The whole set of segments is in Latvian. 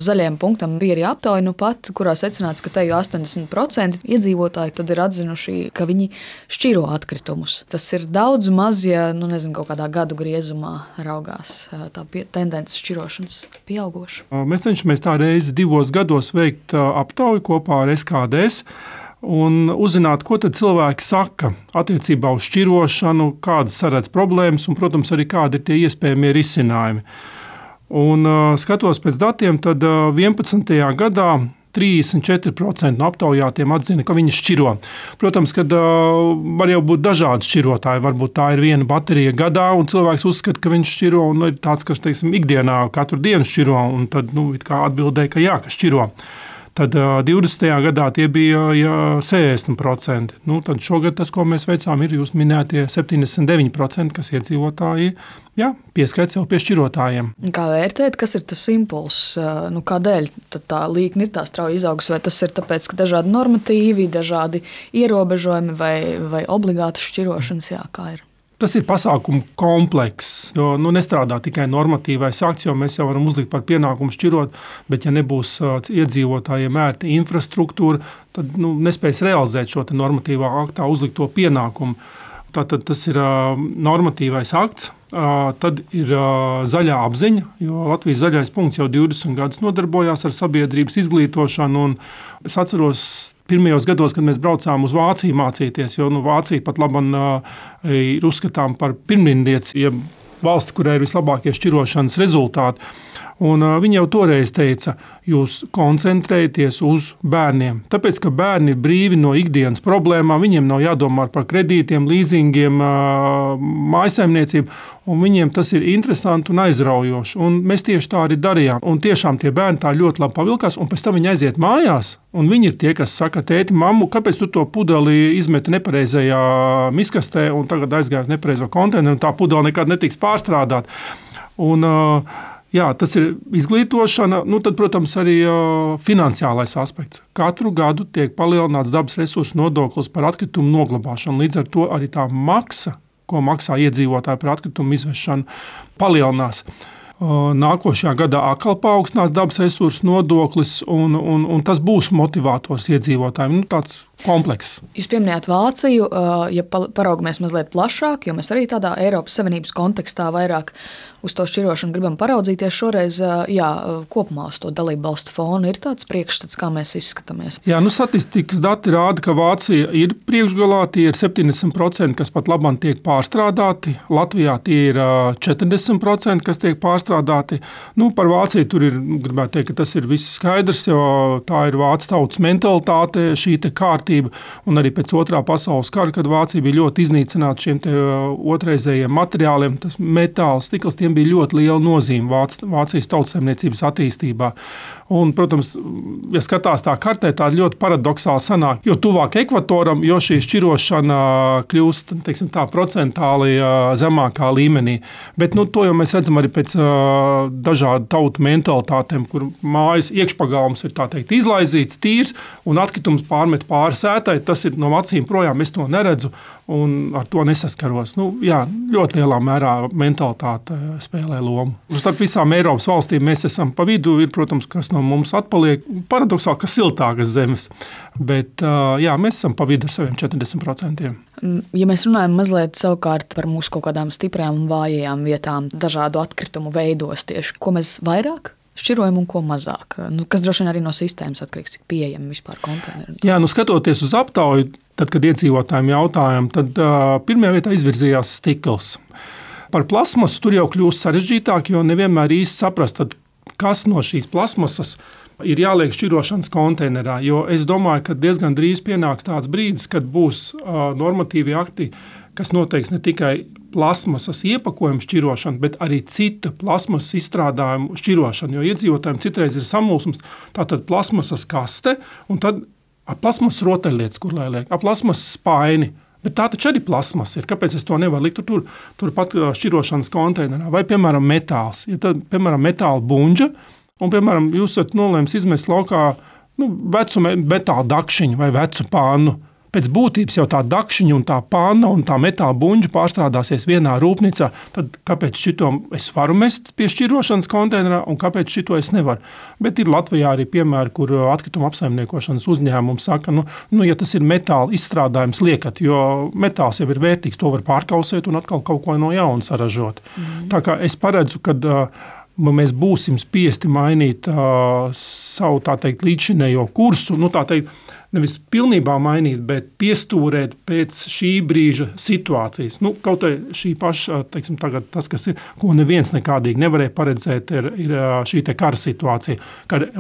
Zaļajam punktam bija arī aptauja pat, kurā secināts, ka te jau 80% iedzīvotāji tad ir atzinuši, ka viņi šķiro atkritumus. Tas ir daudz maz, ja kaut kādā gadu griezumā raugās tā tendence šķirošanas pieaugoša. Mēs cenšamies tā reizi 2 gados veikt aptauju kopā ar SKDS un uzzināt, ko tad cilvēki saka attiecībā uz šķirošanu, kādas saredz problēmas un, protams, arī kādi ir tie iespējamie risinājumi. Un skatos pēc datiem, tad 11. gadā 34% no aptaujātiem atzina, ka viņi šķiro. Protams, ka var jau būt dažādi šķirotāji. Varbūt tā ir viena baterija gadā, un cilvēks uzskata, ka viņš šķiro, un ir tāds, kas, ikdienā katru dienu šķiro, un tad, atbildēja, ka jā, ka šķiro. Tad 20. gadā tie bija 60%. Tad šogad tas, ko mēs veicām, ir jūs minētie 79%, kas iedzīvotāji pieskaita sev pie šķirotājiem. Kā vērtēt, kas ir tas impulss? Kādēļ tā līkne ir tā strauji izaugusi? Vai tas ir tāpēc, ka dažādi normatīvi, dažādi ierobežojumi vai obligātas šķirošanas, kā ir? Tas ir pasākumu komplekss, jo nestrādā tikai normatīvais akts, jo mēs jau varam uzlikt par pienākumu šķirot, bet ja nebūs iedzīvotājiem ērta infrastruktūra, tad nespēs realizēt šo normatīvā aktā uzlikto pienākumu. Tātad tas ir normatīvais akts, tad ir zaļā apziņa, jo Latvijas zaļais punkts jau 20 gadus nodarbojās ar sabiedrības izglītošanu, un es atceros pirmajos gados, kad mēs braucām uz Vāciju mācīties, jo Vācija pat ir uzskatām par pirmrindnieci, ja valsti, kurai ir vislabākie šķirošanas rezultāti. Un viņi jau toreiz teica, jūs koncentrējieties uz bērniem. Tāpēc, ka bērni ir brīvi no ikdienas problēmām, viņiem nav jādomā par kredītiem, līzingiem, mājasaimniecību, un viņiem tas ir interesanti un aizraujoši. Un mēs tieši tā arī darījām. Un tiešām tie bērni tā ļoti labi pavilkās, un pēc tam viņi aiziet mājās, un viņi ir tie, kas saka, tēti, mammu, kāpēc tu to pudeli izmeti nepareizajā miskastē un tagad aizgāji uz nepareizo konteineru, un tā pudele nekad netiks pārstrādāt. Un, tas ir izglītošana, tad, protams, arī finansiālais aspekts. Katru gadu tiek palielināts dabas resursu nodoklis par atkritumu noglabāšanu. Līdz ar to arī tā maksa, ko maksā iedzīvotāji par atkritumu izvešanu, palielinās. Nākošajā gadā atkal paaugstinās dabas resursu nodoklis, un tas būs motivators iedzīvotājiem. Tāds komplekss. Jūs pieminējāt Vāciju, ja paraugamies mazliet plašāk, jo mēs arī tādā Eiropas Savienības kontekstā vairāk uz to šķirošanu gribam paraudzīties. Šoreiz, kopumā uz to dalību valstu fonu ir tāds priekšstats, kā mēs izskatāmies. Statistikas dati rāda, ka Vācija ir priekšgalā, tie ir 70%, kas pat labam tiek pārstrādāti. Latvijā tie ir 40%, kas tiek pārstrādāti. Par Vāciju tur ir, gribētu teikt, ka tas ir viss skaidrs, jo tā ir vācu tautas mentalitāte, šī te kārtība. Un arī pēc otrā pasaules kara, kad Vācija bija ļoti iznīcināta šiem otrreizējiem materiāliem, tas metāls, stikls, tiem bija ļoti liela nozīme Vācijas tautsaimniecības attīstībā. Un, protams, ja skatās tā kartē, tā ļoti paradoxāli sanāk, jo tuvāk ekvatoram, jo šī šķirošana kļūst, tā procentāli zemākā līmenī. Bet, to jau mēs redzam arī pēc dažādu tautu mentalitātēm, kur mājas iekšpagalms ir, izlaizīts, tīrs, un atkritums pārmet pāri sētai, tas ir no acīm projām, es to neredzu un ar to nesaskaros. Ļoti lielā mērā mentalitāte spēlē lomu. Starp visām Eiropas valstīm mēs esam pa vidu, ir, protams, kas no mums atpaliek, paradoxāli, ka siltākas zemes, bet mēs esam pa vidu ar saviem 40%. Ja mēs runājam mazliet savukārt par mūsu kaut kādām stiprajām un vājajām vietām, dažādu atkritumu veidos tieši, ko mēs vairāk šķirojam un ko mazāk, kas droši vien arī no sistēmas atkarīgs, cik pieejami vispār konteineri. Skatoties uz aptauju, tad, kad iedzīvotājiem jautājām, tad pirmajā vietā izvirzījās stikls. Par plasmasu tur jau kļūst sarežģītāk, jo nevienmēr īsti saprast, kas no šīs plasmasas ir jāliek šķirošanas konteinerā, jo es domāju, ka diezgan drīz pienāks tāds brīdis, kad būs normatīvi akti, kas noteiks ne tikai plasmasas iepakojumu šķirošanu, bet arī cita plasmasas izstrādājumu šķirošanu, jo iedzīvotājiem citreiz ir samulsums, tātad plasmasas kaste un tad plasmasas rotaļlietas, kur lai liek, plasmasas spaini. Bet tā taču arī plasmas ir. Kāpēc es to nevaru likt turpat šķirošanas konteinerā? Vai, piemēram, metāls. Ja tad, piemēram, metāla buņģa, un, piemēram, jūs esat nolēmis izmest laukā vecu metāla dakšiņu vai vecu pānu, pēc būtības jau tā dakšiņa un tā panna un tā metāla buņģa pārstrādāsies vienā rūpnīcā, tad kāpēc šito es varu mest pie šķirošanas konteinerā un kāpēc šito es nevaru? Bet ir Latvijā arī piemēri, kur atkrituma apsaimniekošanas uzņēmumi saka, ja tas ir metāla izstrādājums, liekat, jo metāls jau ir vērtīgs, to var pārkausēt un atkal kaut ko no jauna saražot. Tā kā es paredzu, kad mēs būsim spiesti mainīt savu, tā teikt, līdzinējo kursu, tā teikt, nevis pilnībā mainīt, bet piestūrēt pēc šī brīža situācijas. Kaut arī šī paša, teiksim, tagad tas, kas ir, ko neviens nekādīgi nevarēja paredzēt, ir šī te kara situācija,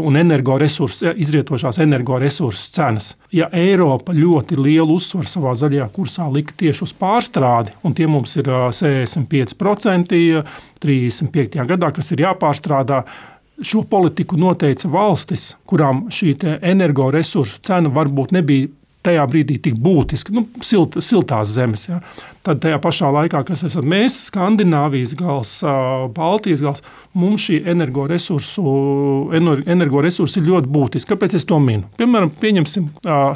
un izrietošās energoresursu cenas. Ja Eiropa ļoti lielu uzsvaru savā zaļajā kursā lika tieši uz pārstrādi, un tie mums ir 65% 35. gadā, kas ir jāpārstrādā, šo politiku noteica valstis, kurām šī energoresursu cena varbūt nebija tajā brīdī tik būtiska, siltās zemes. Ja. Tad tajā pašā laikā, kas esam mēs, Skandināvijas gals, Baltijas gals, mums šī energoresursi ir ļoti būtiski. Kāpēc es to minu? Piemēram, pieņemsim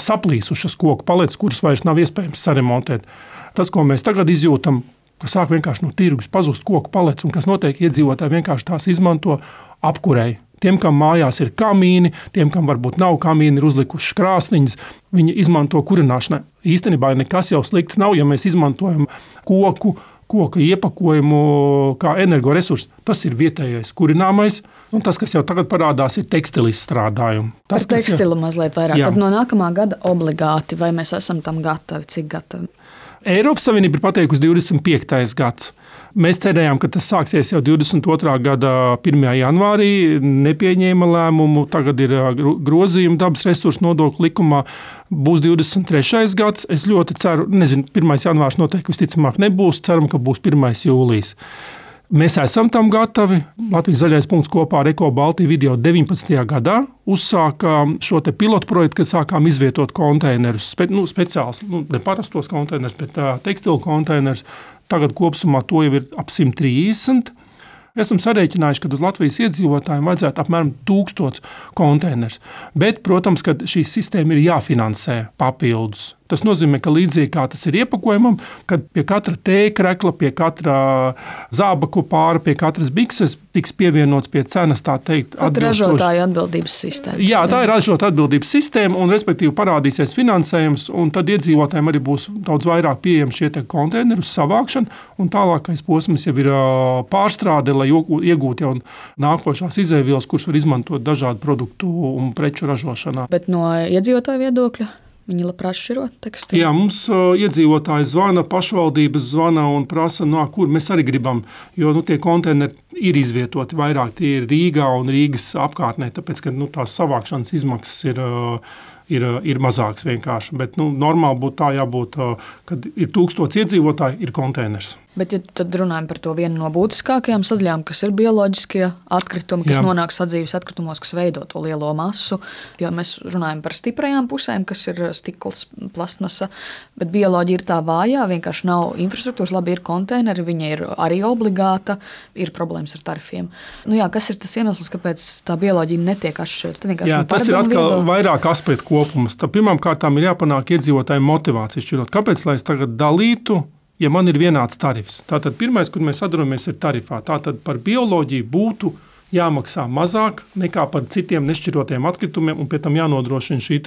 saplīsušas koku paletes, kuras vairs nav iespējams saremontēt. Tas, ko mēs tagad izjūtam, ka sāk vienkārši no tirgus pazust koku paletes, un kas notiek, iedzīvotāji vienkārši tās izmanto apkurei. Tiem, kam mājās ir kamīni, tiem, kam varbūt nav kamīni, ir uzlikušas krāsniņas, viņi izmanto kurināšanai. Īstenībā nekas jau slikts nav, ja mēs izmantojam koka iepakojumu kā energoresursu. Tas ir vietējais kurināmais, un tas, kas jau tagad parādās, ir tekstilu izstrādājumi. Par tekstilu mazliet vairāk. Jā. Tad no nākamā gada obligāti, vai mēs esam tam gatavi, cik gatavi? Eiropas Savienība ir pateikusi 25. gads. Mēs cerējām, ka tas sāksies jau 22. gada 1. janvārī, nepieņēma lēmumu, tagad ir grozījumi dabas resursu nodokļu likumā, būs 23. gads. Es ļoti ceru, 1. janvārs noteikti visticamāk nebūs, ceram, ka būs 1. jūlijas. Mēs esam tam gatavi. Latvijas zaļais punkts kopā ar Eko Baltiju video 19. gadā uzsāka šo te pilotu projektu, kad sākām izvietot konteinerus, speciāls, neparastos konteinerus, bet tekstilu konteinerus. Tagad kopsumā to jau ir ap 130. Esam sarēķinājuši, ka uz Latvijas iedzīvotājiem vajadzētu apmēram 1000 konteinerus. Bet, protams, ka šī sistēma ir jāfinansē papildus. Tas nozīmē, ka līdzīgi kā tas ir iepakojumam, kad pie katra tēkrekla, pie katra zābaku pāra, pie katras bikses tiks pievienots pie cenas, tā teikt, ražotāja atbildības sistēma. Jā, tā ir ražotāja atbildības sistēma, un respektīvi parādīsies finansējums, un tad iedzīvotājiem arī būs daudz vairāk pieejami šie konteineru savākšana, un tālākais posms jau ir pārstrāde, lai iegūtu jau nākošās izēvielas, kuras var izmantot dažādu produktu un preču ražošanā. Bet no iedzīvotāja viedokļa? Viņi labprāt šķiro tekstilu. Jā, mums iedzīvotāji zvana, pašvaldības zvana un prasa, kur mēs arī gribam, jo tie konteineri ir izvietoti vairāk, tie ir Rīgā un Rīgas apkārtnē, tāpēc, ka tās savākšanas izmaksas ir mazāks vienkārši. Bet normāli būtu tā jābūt, kad ir 1000 iedzīvotāji, ir konteiners. Bet, ja tad runājam par to vienu no būtiskākajām sadaļām, kas ir bioloģiskie atkritumi, kas nonāk sadzīves atkritumos, kas veido to lielo masu, jo mēs runājam par stiprajām pusēm, kas ir stikls, plastmasa, bet bioloģija ir tā vājā, vienkārši nav infrastruktūras, labi ir konteineri, viņa ir arī obligāta, ir problēmas ar tarifiem. Kas ir tas iemesls, kāpēc tā bioloģija netiek atšķirta? Jā, tas ir atkal vairāk aspektu kopums. Pirmām kārtām ir jāpanāk iedzīvotājiem motivācija šķirot. Kāpēc, lai es tagad dalītu, ja man ir vienāds tarifs? Tātad pirmais, kur mēs sadaramies, ir tarifā. Tātad par bioloģiju būtu jāmaksā mazāk nekā par citiem nešķirotiem atkritumiem, un pie tam jānodrošina šī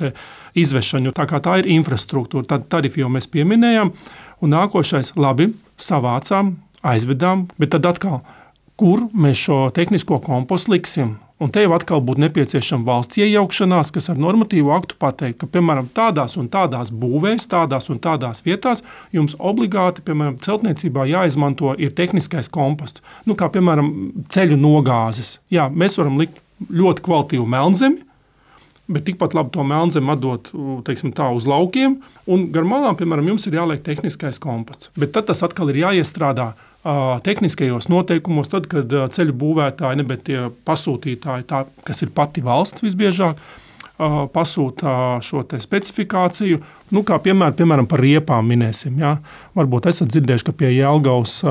izvešana. Tā kā tā ir infrastruktūra, tad tarifu jau mēs pieminējām. Un nākošais, labi, savācām, aizvedām, bet tad atkal, kur mēs šo tehnisko kompostu liksim? Un te jau atkal būtu nepieciešama valsts iejaukšanās, kas ar normatīvu aktu pateikt, ka, piemēram, tādās un tādās būvēs, tādās un tādās vietās jums obligāti, piemēram, celtniecībā jāizmanto ir tehniskais komposts. Kā, piemēram, ceļu nogāzes. Jā, mēs varam likt ļoti kvalitīvu melnzemi, bet tikpat labi to melnzemi atdot, teiksim tā, uz laukiem, un gar malām, piemēram, jums ir jāliek tehniskais komposts. Bet tad tas atkal ir jāiestrādā tehniskajos noteikumos, tad, kad ceļu būvētāji, bet tie pasūtītāji, tā, kas ir pati valsts visbiežāk, pasūta šo specifikāciju, Kā piemēram par riepām minēsim. Ja? Varbūt esat dzirdējuši, ka pie Jelgavas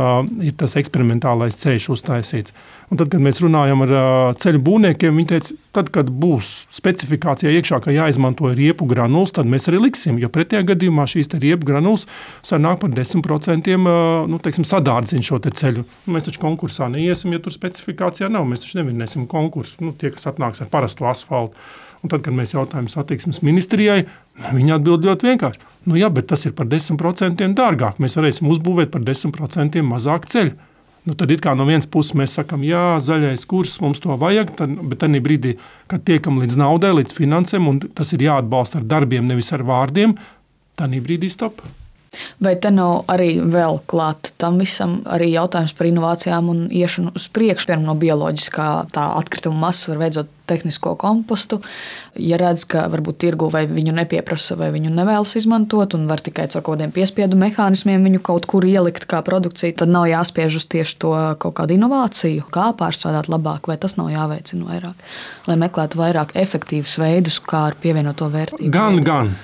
ir tas eksperimentālais ceļš uztaisīts. Un tad, kad mēs runājam ar ceļu būvniekiem, viņi teica, tad, kad būs specifikācijā iekšā, ka jāizmanto riepu granulas, tad mēs arī liksim, jo pretējā gadījumā šīs riepu granulas sanāk par 10% sadārdzina šo ceļu. Mēs taču konkursā neiesim, ja tur specifikācijā nav. Mēs taču nevinnēsim konkursu, tie, kas atnāks ar parastu asfaltu. Un tad, kad mēs jautājam satiksmes ministrijai, viņi atbild ļoti vienkārši. Jā, bet tas ir par 10% dārgāk. Mēs varēsim uzbūvēt par 10% mazāk ceļu. Tad it kā no vienas puses mēs sakam, jā, zaļais kurs, mums to vajag, bet tajā brīdī, kad tiekam līdz naudai, līdz finansēm, un tas ir jāatbalsta ar darbiem, nevis ar vārdiem, tajā brīdī stop. Vai te nav arī vēl klāt tam visam arī jautājums par inovācijām un iešanu uz priekšu, piemēram, no bioloģiskā tā atkrituma masas var veidot tehnisko kompostu, ja redz, ka varbūt tirgu vai viņu nepieprasa vai viņu nevēlas izmantot un var tikai caur kaut kādiem piespiedu mehānismiem viņu kaut kur ielikt kā produkciju, tad nav jāspiež uz tieši to kaut kādu inovāciju, kā pārstrādāt labāk, vai tas nav jāveicina vairāk, lai meklētu vairāk efektīvus veidus, kā ar pievienoto vērtību. Gan.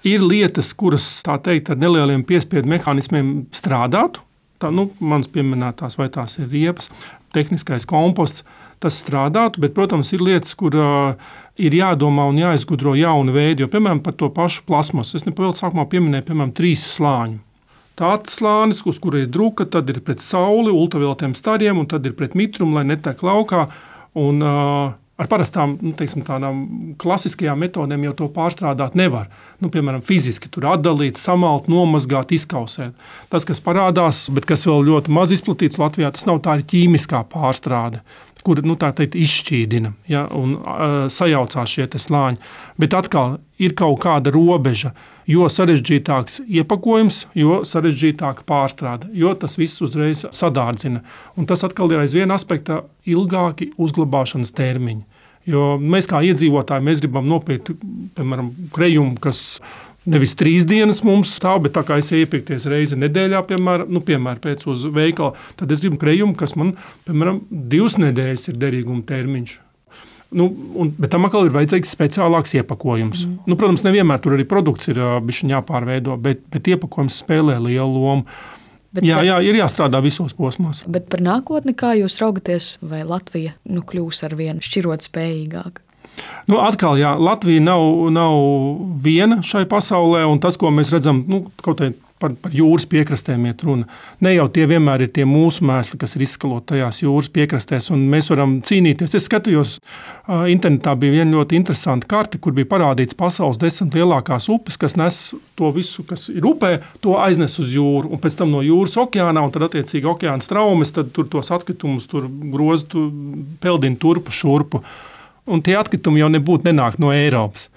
Ir lietas, kuras, tā teikt, ar nelieliem piespiedu mehānismiem strādātu. Mans pieminētās, vai tās ir riepas, tehniskais komposts, tas strādātu, bet, protams, ir lietas, kur ir jādomā un jāizgudro jauni veidi, jo, piemēram, par to pašu plasmasu. Es nepavēlu sākumā pieminēju, piemēram, 3 slāņu. Tāds slānis, uz kura ir druka, tad ir pret sauli, ultravioletiem stariem, un tad ir pret mitrumu, lai netek laukā. Un, ar parastām tādām klasiskajām metodēm jau to pārstrādāt nevar. Piemēram, fiziski tur atdalīt, samalt, nomazgāt, izkausēt. Tas, kas parādās, bet kas vēl ļoti maz izplatīts Latvijā, tas nav tā ir ķīmiskā pārstrāde, kur tā teikt izšķīdina, ja, un sajaucās šie slāņi. Bet atkal ir kaut kāda robeža, jo sarežģītāks iepakojums, jo sarežģītāka pārstrāde, jo tas viss uzreiz sadārdzina. Un tas atkal ir aiz viena aspekta ilgāki uzglabāšanas termiņi. Jo mēs kā iedzīvotāji, mēs gribam nopirkt, piemēram, krejumu, kas nevis 3 dienas mums stāv, bet tā kā es iepirkties reizi nedēļā, piemēram, pēc uz veikalu, tad es gribu krejumu, kas man, piemēram, 2 nedēļas ir derīguma termiņš. Bet tam atkal ir vajadzīgs speciālāks iepakojums. Protams, nevienmēr tur arī produkts ir bišķiņ jāpārveido, bet iepakojums spēlē lielu lomu. Jā, ir jāstrādā visos posmos. Bet par nākotni, kā jūs raugaties, vai Latvija kļūs ar vienu šķirot spējīgāk? Atkal, jā, Latvija nav viena šai pasaulē, un tas, ko mēs redzam, kaut kā par jūras piekrastēm iet runa. Ne jau tie vienmēr ir tie mūsu mēsli, kas ir izskaloti tajās jūras piekrastēs, un mēs varam cīnīties. Es skatījos, internetā bija viena ļoti interesanta karte, kur bija parādīts pasaules 10 lielākās upes, kas nes to visu, kas ir upē, to aiznes uz jūru, un pēc tam no jūras okeānā, un tad attiecīgi okeāna straumes, tad tur tos atkritumus tur groza, peldina turpu šurpu. Un tie atkritumi jau nebūtu nenāk no Eiropas.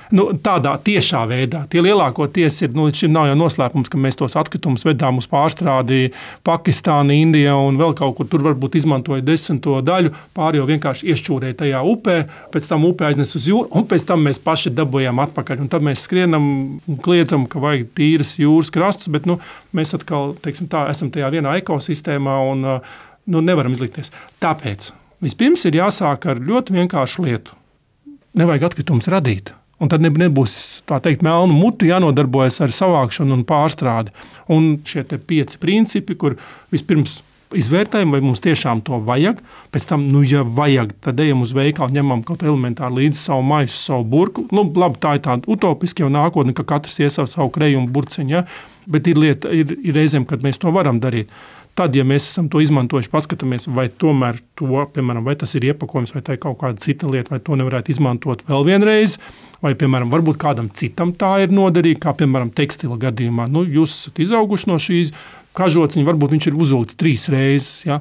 Tādā tiešā veidā. Tie lielākoties ir, līdz šim nav jau noslēpums, ka mēs tos atkritumus vedām uz pārstrādi Pakistāna, Indija un vēl kaut kur tur varbūt izmantoja 10. daļu, pāri jau vienkārši iešķūrēja tajā upē, pēc tam upē aiznes uz jūru, un pēc tam mēs paši dabūjām atpakaļ. Un tad mēs skrienam un kliedzam, ka vajag tīras jūras krastus, bet mēs atkal, teiksim tā, esam tajā vienā ekosistēmā un nevaram izlikties. Tāpēc vispirms ir jāsāk ar ļoti vienkāršu lietu. Nevajag atkritumus radīt. Un tad nebūs, tā teikt, melnu mutu jānodarbojas ar savākšanu un pārstrādi. Un šie 5 principi, kur vispirms izvērtējam, vai mums tiešām to vajag. Pēc tam, ja vajag, tad ejam uz veikalu, ņemam kaut elementāri līdzi savu maisu, savu burku. Labi, tā ir tāda utopiska jau nākotne, ka katrs iesauc savu krejumu burciņu, ja? Bet ir reizēm, kad mēs to varam darīt. Tad, ja mēs esam to izmantojuši, paskatāmies, vai tomēr to, piemēram, vai tas ir iepakojums, vai tā ir kaut kāda cita lieta, vai to nevarētu izmantot vēl vienreiz, vai, piemēram, varbūt kādam citam tā ir noderīga, kā, piemēram, tekstila gadījumā. Jūs esat izauguši no šīs kažociņa, varbūt viņš ir uzvilkts 3 reizes, ja?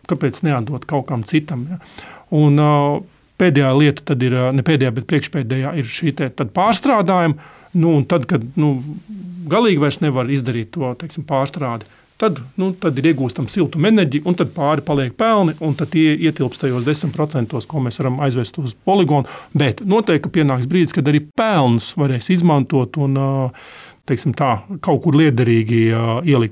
Kāpēc neatdot kaut kam citam, ja? Un pēdējā lieta tad ir, ne pēdējā, bet priekšpēdējā ir šī tad pārstrādājuma, un tad, kad galīgi vairs nevar izdarīt to, teiksim, pārstrādi, tad ir iegūstam siltumu enerģiju, un tad pāri paliek pelni, un tad tie ietilpst tajos 10%, ko mēs varam aizvest uz poligonu. Bet noteikti, ka pienāks brīdis, kad arī pelnus varēs izmantot un, teiksim tā, kaut kur liederīgi ielikt.